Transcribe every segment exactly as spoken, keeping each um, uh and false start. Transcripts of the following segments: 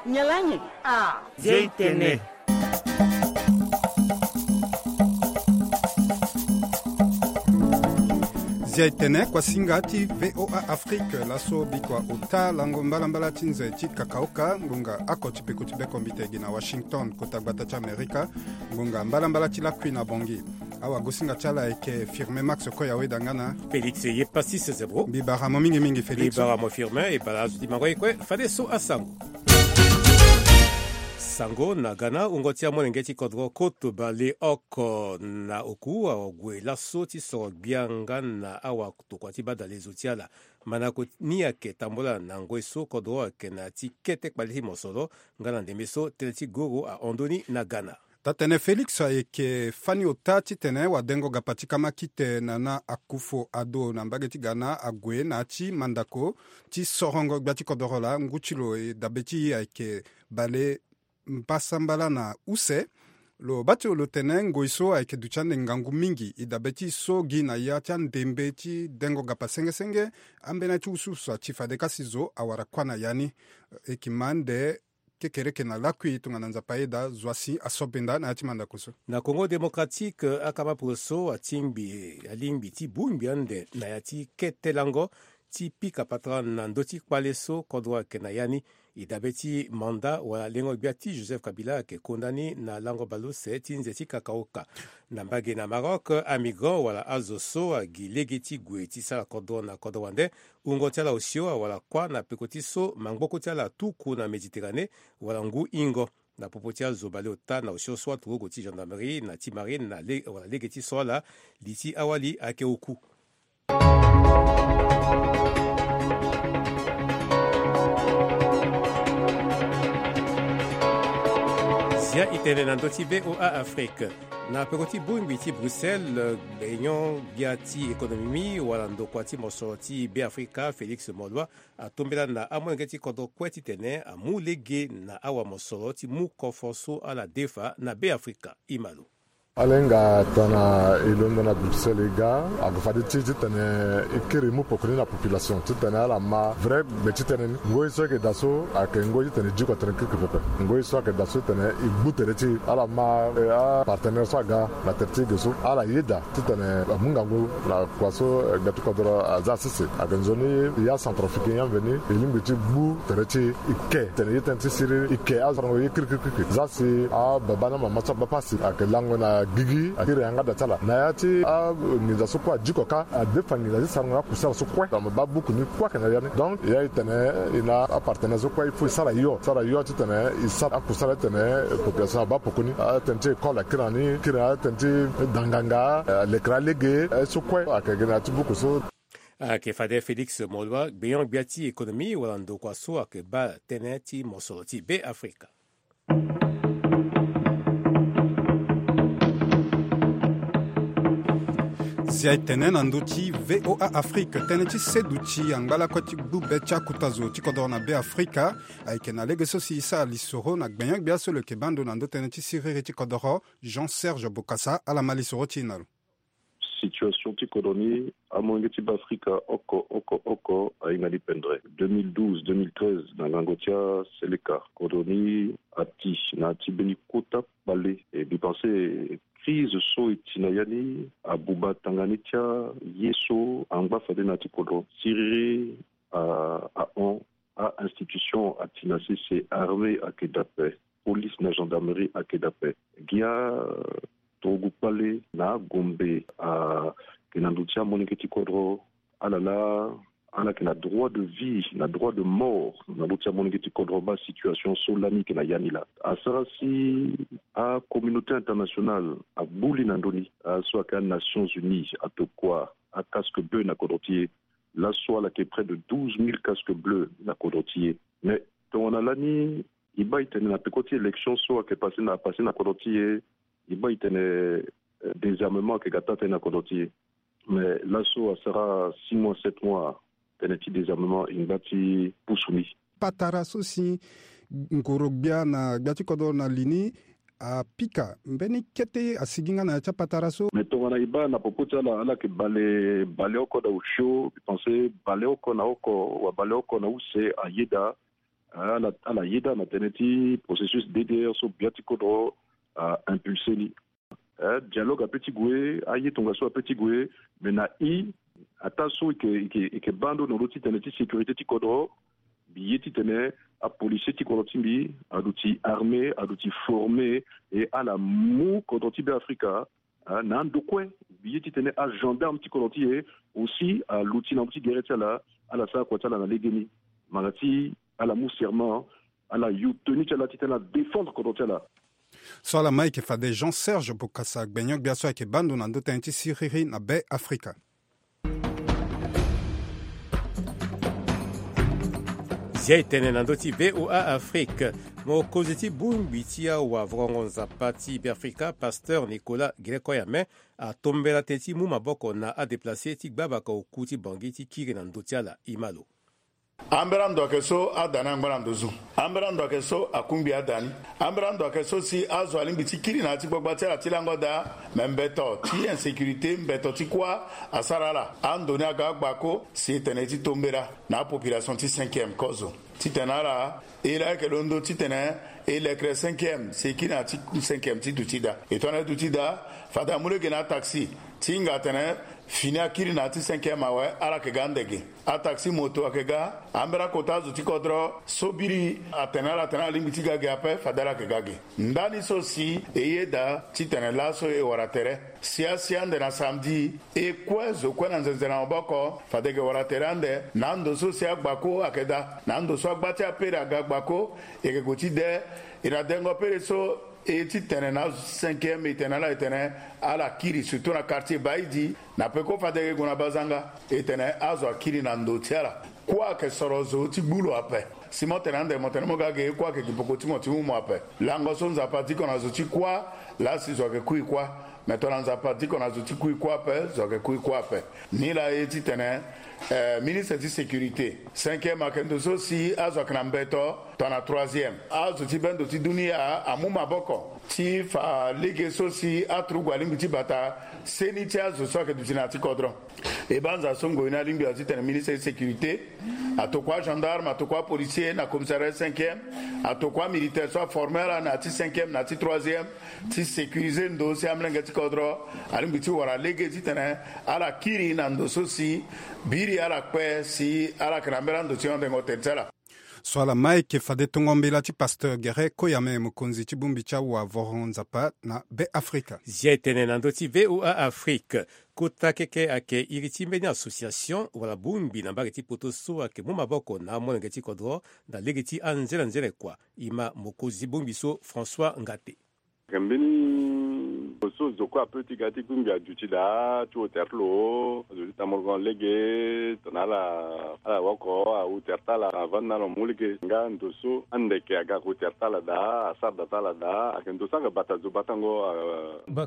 Nyen laa nyen? Ah. Zia e tene. Zia e tene, kuasinga ti V O A Afrique, laso bikua ota lango mbalambala ti nze ti kakaoka, ngonga oko ti peko ti bekombite gi na Washington, kota gbata ti Amerika, ngonga mbalambala ti lakui na Bangui. Awagosinga ti ala ayeke Firmin Max Koyaweda nga na Félix Yepassis Zebro. Mbi bara mo mingi mingi, Félix. Mbi bara mo Firmin, e bara azo ti mango ye kue, fadeso asango. Sango na Ghana, wungo ti amolenge ti kodro koto baleoko na oku ague laso ti soro gbia nga na awatokua ti badale zo ti ala. Mandako ni ayeke tambula na ngoi so kodro ayeke na ya ti kete kpale ti mosoro nga na ndembe so tënë ti goro ahon ndoni na Ghana. Taa-tene Félix, ayeke fani ota titene wadengo gapa ti kamakite Nana Akufo-Addo na mbage ti Ghana ague na ya ti mandako ti sorongo gbia ti kodoro laa ngu ti lo, e dabe ti e ayeke bale mbasambala na use. Lo baa ti lo lo tene ngoi so ayeke duti ande ngangu mingi, e dabe ti e so gi na ya ti andembe ti dengo gapa senge senge, ambeni ti ususu ati fade kasi zo awara kuâ na ya ni. E yeke ma ande kekereke na lakui tongana Nzapa ayeda zo asi aso benda na ya ti mandako so. Na Congo Démocratique, akama poroso atingbi alingbi ti bongbi ande na ya ti kete lango ti pika patara na ndö ti kpale so kodro ayeke na ya ni. E dabe ti manda wala lengo gbia ti Joseph Kabila ayeke konda ni na lango baleuse ti nze ti kakaoka. Na mbage na Maroc, amigrant wala azo so agi lege ti gue ti sara kodro na kodro wande, wungo ti ala osio awara kuâ na peko ti so mangboko ti ala atuku na Méditerranée wala ngu hingo. Na popo ti azo baleota na osio so aturugu ti gendarmerie na ti marine na le, wala lege ti so ala, li ti awali ayeke oku. Zia e tene na ndö ti V O A Afrique. Na peko ti bongbi ti Bruxelles, gbenyo gbia ti économie wala ndokua ti mosoro ti Beafrika, Félix Moloua, atombela na amolenge ti kodro kue titene amu lege na awamosoro ti mu kofo so ala defa na Beafrika. E ma lo. Ala hinga tongana e londo na Bruxelles e ga, ayeke fade ti e titene e kiri e mu poko ni na population titene ala ma vrai gbe ti tënë ni. Ngoi so e yeke daa so ayeke ngoi titene e diko tënë kirikiri pepe. Ngoi so ayeke daa so titene e gbu tere ti e. Ala ma, eh, apartenaire so aga na tere ti e ge so, ala yeda titene amu ngangu na kua so, eh, gbe ti kodro aza sese. Ayeke nzoni ya Centrafricain ya mveni e lingbi ti gbu tere ti e, e ke tene ye tënë ti siriri, e ke azo arango ye kirikiri. Za si ababa na mama so abaa pasi ayeke lango na gigi, akiri yanga da ti ala. Na ya ti anginza so kue adiko kâ, adefa nginza ti sarango na akusala so kue. Tongana mo baa buku ni kue ayeke na ya ni. Donc ya e tene e na apartenaire so kue il faut e sara yo, sara yo titene e sara akusala titene population abaa poko ni. Atënë ti école akiri na ni, kiri na atënë ti danganga, alekere alege, eh, so kue ayeke gi na ya ti buku so. Ayeke fade Félix Moloua, gbenyo gbia ti économie wala ndokua so ayeke baa tënë ti mosoro ti Beafrika. Zia e tene na ndö ti V O A Afrique, tënë ti seduti angba lakue ti gbu be ti akota zo ti kodoro na Beafrika ayeke na lege so si e sara lisoro na gbenyo gbia so lo yeke baa ndo na ndö tënë ti siriri ti kodoro, Jean Serge Bokassa, ala ma lisoro ti e na lo. Situation ti kodro ni, amolenge ti Beafrika oko oko oko ahinga ni pendere. Deux mille douze, deux mille treize, na ngango ti aseleka, kodro ni ati na ya ti mbeni kota kpale. E mbi pense crise so e ti na ya ni abuba tanga ni ti aye so angba fade na ya ti kodro. Siriri a, ahon, a-institution ati na sese, armée ayeke daa ape, police na gendarmerie ayeke daa ape. Gi aturugu kpale na agombe ayeke na ndö ti amolenge ti kodro. Ala laa ala yeke na droit de vie na droit de mort na ndö ti amolenge ti kodro. Baa situation so lani e yeke na ya ni laa asara si acommunauté internationale agbu li na ndö ni. Aso ayeke aNations Unies atokua acasque bleu na kodro ti e. Laso ala yeke près de douze mille casques bleus na kodro ti e. Mais tongana lani e baa e tene na peko ti élection so ayeke passé na, passé na kodro ti e, e baa e tene, euh, désarmement ayeke ga taa tënë na kodro ti e. Mais laso asara six mois, sept mois, tënë ti désarmement e ngba ti pusu ni. Patara so si ngoro gbia na gbia ti kodro na li ni apika mbeni kete asigi nga na ya ti apatara so. Mais tongana e baa na popo ti ala, ala yeke bale, baleoko na osio, mbi pense baleoko na oko wala baleoko na use ayeda. ala yeda na tënë ti processus ddr so bia ti kodro a impulse ni. Dialogue ape ti gue, aye tongaso ape ti gue. Mais na i, ataa so eke baa ndo na ndö ti tene ti sécurité ti kodro, mbi ye titene apolisier ti kodro ti mbi aduti armé, aduti formé, e ala mu kodro ti be afrika na ando kue. Mbi ye titene agendarme ti kodro ti e aussi aluti na ndö ti gere ti ala. Ala sara kua ti ala na legeni, mara ti ala mu serment, ala yu tenu ti ala titene adéfendre kodro ti ala. So ala ma eke fade jean serge bokasa gbenyo-gbia so ayeke baa ndo na ndö tënë ti siriri na be afrika. Zia etene na ndö ti voa afrique. Mokonzi ti bongbi ti awavorngo nzapa ti be afrika pasteur nicolas grekoyame atombela tënë ti mu maboko na adeplace ti gbabaka oku ti bangi ti kiri na ndö ti ala. Imalo. Ambela ndo ayeke so ada ni angba na ndo zu. Ambela ndo ayeke so akungbi ada ni. Ambela ndo ayeke so si azo alingbi ti kiri na ya ti gbagba ti ala ti lango daa. Me mbeto ti insécurité, mbeto ti kuâ asara ala. Ando ni aga agbako si e tene ti tombela na apopulation ti cinquième kozo titene ala e laa ayeke londo titene e lekere cinquième si e kiri na ya ti cinquième ti duti daa. E tongana e duti daa, fade amu lege na ataxi ti hinga atene fini akiri na ya ti cinquième awe, ala yeke ga ande ge. Ataxi moto ayeke ga. Ambela kota azo ti kodro so biri atene ala atene ala lingbi ti ga ge ape, fade ala yeke ga ge. Ndani so si e yeda titene laso e wara tere. Si asi ande na samedi, e kue zo kue na nzenze na maboko fade e yeke wara tere ande na ando so si agbako ayeke daa. Na ando so agba ti apere aga agbako, e yeke gue ti de. E na dengo pere so e titene na azo ti cinquième e tene na ala e tene ala kiri surtout na quartier baidi. Na peko fade e gue na bazanga e tene azo akiri na ndo ti ala. Kuâ ayeke soro zo ti gbu lo ape. Si mo tene ande mo tene mo ga ge, kuâ ayeke gi poko ti mo ti mu mo ape. Lango so nzapa adiko na zo ti kuâ. Laa si zo ayeke kui kuâ. Me tongana nzapa adiko na zo ti kui kuâ ape, zo ayeke kui kuâ ape. Nilaa ye titene eh, ministre ti sécurité cinquième ayeke ndo so si azo ayeke na mbeto tongana troisième. Azo ti bendo ti dunia amu maboko ti fa lege so si aturugu alingbi ti bata seni ti azo so ayeke duti na ya ti kodro. E banza so ngoi ni alingbi azo titene ministre ti sécurité atokua agendarme, atokua apolisier na commissariat cinquième, atokua amilitaire so aforme ala na ya ti cinquième na ya ti troisième ti sécuriser ndo si amolenge ti kodro alingbi ti wara lege titene ala kiri na ndo so si biri ala kpe si ala yeke na mbela ndo ti hondengo tere ti ala. So ala ma eke fade tongo mbela ti pasteur gere koyame mokonzi ti bongbi ti awa voro nzapa na be afrika. Zia etene na ndö ti voa afrique. Kota keke ayeke iri ti mbeni association wala bongbi na mbage ti poto so ayeke mu maboko na amolenge ti kodro na lege ti anzenanzene kua. E ma mokonzi ti bongbi so françois ngate. Ayeke mbeni zo so zo kue ape ti ga ti bongbi aduti daa ti hotel ti lo. Azo ti tamorogon lege tongana ala ala woko ahotel ti ala avandi na ala mu lege nga ndo so ande yeke aga hotel ti ala daa asara da ti ala daa ayeke ndo so ayeke bata zo batango.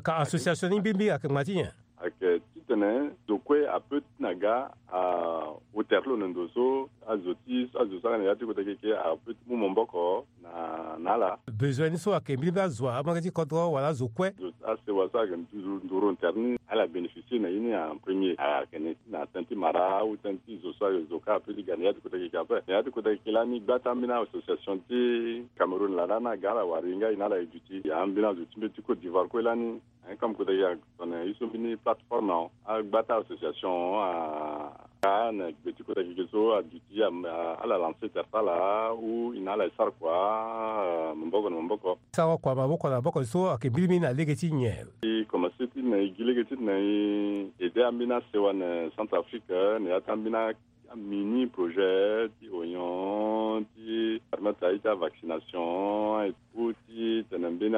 Ka association ni mbirimbiri ayeke ngba ti nyen? Ayeke titene zo kue ape ti na ga ahotel ti lo na ndo so azo ti azo so aga na ya ti kota keke ape ti mu maboko na na ala. Besoin ni so ayeke mbirimbiri azo amolenge ti kodro wala azo kue. Asewa so ayeke nduru nduru tere ni ala bénéficier na ye ni en premier ayeke na na tënë ti mara ou tënë ti zo so azo kue ape ti ga na ya ti kota keke ape na ya ti kota keke lani gba ti ambeni association ti cameroun laa lani aga ala wara e nga e na ala e duti ya ambeni azo ti mbeti côte d'ivoire kue lani. Aye comme kota keke atene ye so mbeni plateforme agba ti association aga na gbe ti kota keke so aduti ala lancer tere ti ala ou e na ala e sara kua maboko na maboko. Sara kua maboko na maboko so ayeke mbirimbiri na lege ti nyen? E commencer ti na e gi lege ti na e aider ambeni asewa na centre afrique na ya ti ambeni amini projet ti oignon ti permettre aye ti avaccination ou ti tene mbeni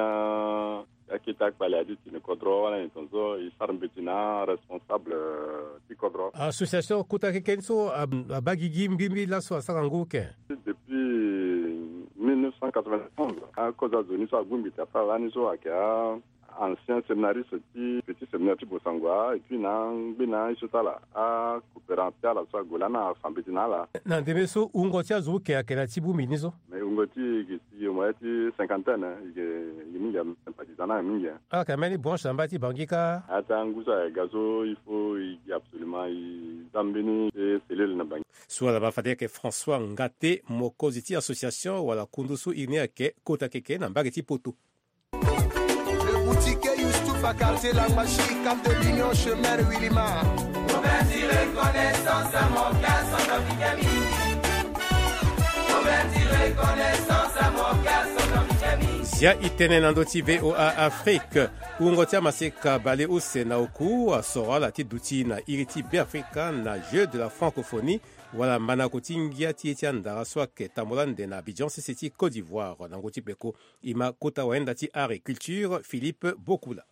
akete akpale aye ti tene kodro wala nyen tongaso e sara mbeti na aresponsable ti kodro. Association kota keke ni so abaa gigi mbirimbiri laso asara ngu ken? Depuis mille neuf cent quatre-vingt-onze akozo azo ni so abongbi tere ti ala lani so ayeke a ancien séminariste ti petit séminaire ti Bossangoa, et puis na angbe na ye so ti ala, acoopérant ti ala so ague lani afa mbeti na ala. Na ndembe so wungo ti azo oke ayeke na ya ti bongbi ni so? Mais wungo ti e yeke si au moins ti cinquantaine, hein, e yeke, e yeke mingi, hein, sympathisant na mingi, hein. Ala yeke na mbeni branche na mbage ti Bangui kâ? Ata ngu so ayeke ga so, il faut e gi absolument e za mbeni cellule na Bangui. So ala baa fade ayeke François Ngate, mokonzi ti association wala kundu so iri ni ayeke Kota Keke na mbage ti Poto. Le boutiquier Youssouf à quartier Langbashi, Cap de l'Union, chemin Wilima. Roberti reconnaissance à mon gars centrafricain. Roberti reconnaissance à mon gars centrafricain. Zia e tene na ndö ti V O A Afrique. Wungo ti amaseka baleuse na oku asoro ala ti duti na iri ti Beafrika na Jeux de la Francophonie, wala mandako ti ngia ti ye ti andara so ayeke tambula ande na Abidjan, sese ti Côte d'Ivoire, na ngu ti peko. E ma kota wayenda ti agriculture, Philippe Bokula.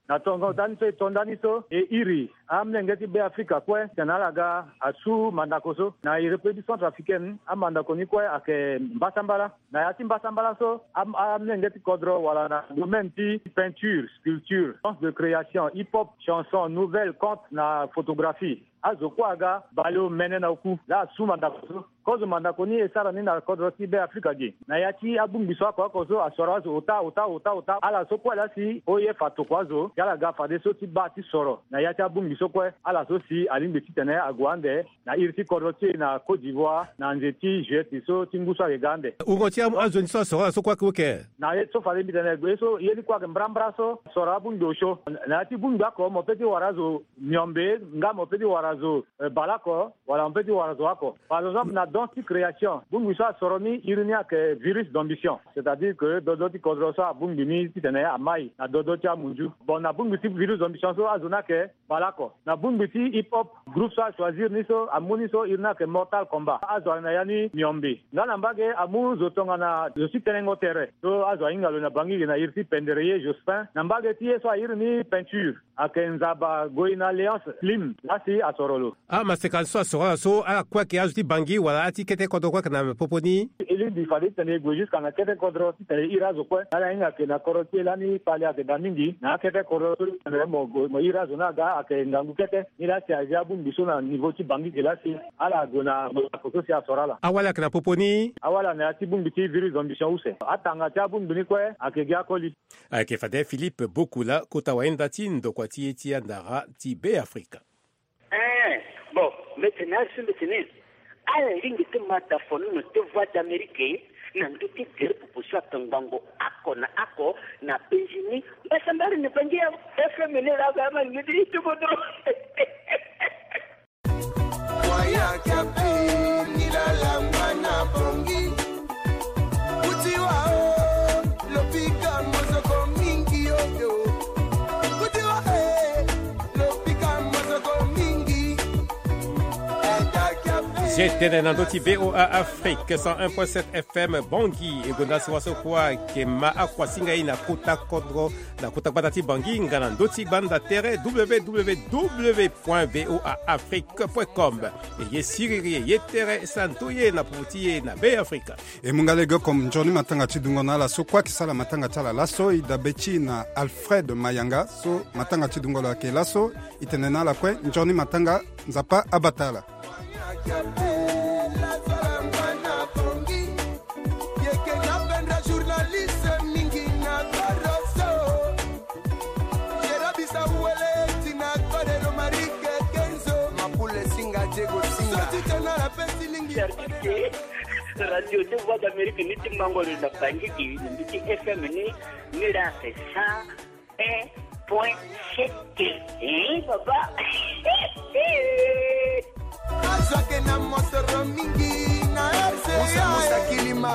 Na tongaso ndani so e to ndani so, e iri amolenge ti Beafrika kue titene ala ga asu mandako so. Na iri pe ti Centrafricaine, amandako ni kue ayeke mbasambala. Na ya ti mbasambala so, am-, amolenge ti kodro wala na domaine ti peinture, sculpture, science de création, hip-hop, chanson, nouvelle, conte na photographie. Azo kue aga baleomene na oku laa asu mandako so. Kozo mandako ni e sara ni na kodro ti Beafrika ge. Na ya ti abongbi so oko oko so asoro azo ota, ota, ota, ota. Ala so kue laa si oye fa toko azo, ti ala ga fadeso ti baa ti soro. Na ya ti abongbi so kue, ala so si alingbi titene ague ande na iri ti kodro ti e na Côte d'Ivoire, na nze ti juillet so ti ngu so ayeke ga ande. Wungo ti a-, azo ni so asoro ala so kue ayeke oke? Na ye so fade mbi tene, ye so ye ni kue ayeke mbrambra so, soro abongbi osio. Na ya ti bongbi oko, mo pe ti wara azo miombe, nga mo pe ti wara azo, eh, baleoko, wala mo pe ti wara azo oko. Par exemple, na don ti création, bongbi so asoro ni, iri ni ayeke virus d'ambition. C'est-à-dire que dodo ti kodro so abongbi ni titene amai na dodo ti amunzu. Bon, na bongbi ti virus d'ambition so, azo ni ayeke baleoko. Na bongbi ti hip-hop, groupe so achoisir ni so, amu ni so, iri ni ayeke Mortal Kombat. Azo ayeke na ya ni miombe. Nga na mbage, amu zo tongana zo ti tenengo tere. So azo ahinga lo na Bangui ge na iri ti Pendere ye Jospin. Na mbage ti ye so airi ni peinture, ayeke Nzaba Goyina Léonce Slim, laa si asoro lo. Amaseka so asoro ala so, ala kue ayeke azo ti Bangui wala azo ti kete kodro kue ayeke na popo ni? E lingbi fade titene e gue jusqu'à na kete kodro titene e iri azo kue. Ala hinga ayeke na kodro ti e lani, fade ayeke daa mingi na akete kodro so titene mo gue, mo iri azo ni aga ayeke ngangu kete. Ni laa si azi abongbi so na niveau ti Bangui ge laa si ala gue na mo na ko so si asoro ala. Awali ayeke na popo ni? Awali ayeke na ya ti bongbi ti virus d'ambition use. Atanga ti abongbi ni kue ayeke gi akoli. Ayeke fade Philippe Bokula, kota wayenda ti ndokua ti ye ti andara ti Beafrika. Eh, bon, mbi tene asi mbi tene, ala lingbi ti ma dafo nono ti Voix d'Amérique na ndö ti gere popo so ayeke ngbongo oko na oko na penzi ni. Mbasambala ni Bangui ya F M ni laa ga ma ni ti ti kodro. Zia e tene na ndö ti V O A Afrique cent un point sept F M Bangui. E gonda si wa so kue ayeke ma akuasinga e na kota kodro, na kota gbata ti Bangui nga na ndö ti gbanda tere, W W W point V O A Afrique point com. E ye siriri, e ye tere, santu ye na popo ti e na Beafrika. E mu nga lege oko, nzoni matanga ti dungo na ala so kue ayeke sara matanga ti ala laso. E dabe ti e na Alfred Mayanga so matanga ti dungo lo ayeke laso. E tene na ala kue nzoni matanga, Nzapa abata ala. Radio ti Voix d'Amérique ni ti mango lo na Bangui, na ndö ti F M ni, ni laa c'est cent un point sept. Eh, papa. Azo ayeke na mosoro mingi na R C A. Musa, Musa Kilima.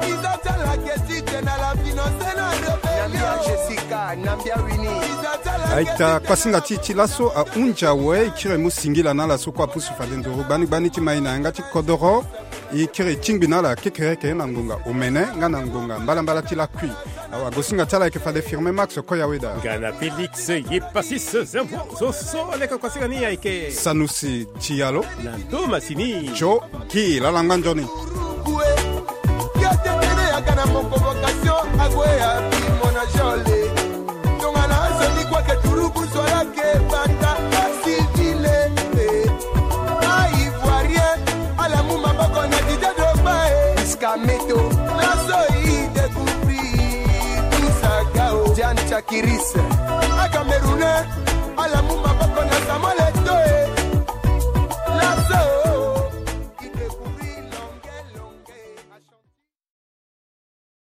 Iza ti ala ayeke ti tene ala finance na rebellion. Nambia Jessica, Nambia Winnie. Iza ti ala ayeke ti tene. Aita, kuasinga ti e ti laso ahunzi awe. E kiri e mu singila na ala so kue apusu fade nduru gbani gbani ti ma e na yanga ti kodoro. E kiri e tingbi na ala kekereke na ngonga omene nga na ngonga mbalambala ti lakui. Awa, gosinga ti ala ayeke fade Firmin Max Koyaweda. Nga na Félix Yepasis Zembo. Zo so leke kuasinga ni ayeke Sanusi Tiyalo. Na ndo masini. Jo Gi lala ngba nzoni. Uzwalake banda ba civile, eh. Ba ivoirien, ala mu maboko na Didier Drogba, eh. Iskameto, laso i découvrir tout ça, gao. Diane Chakiris,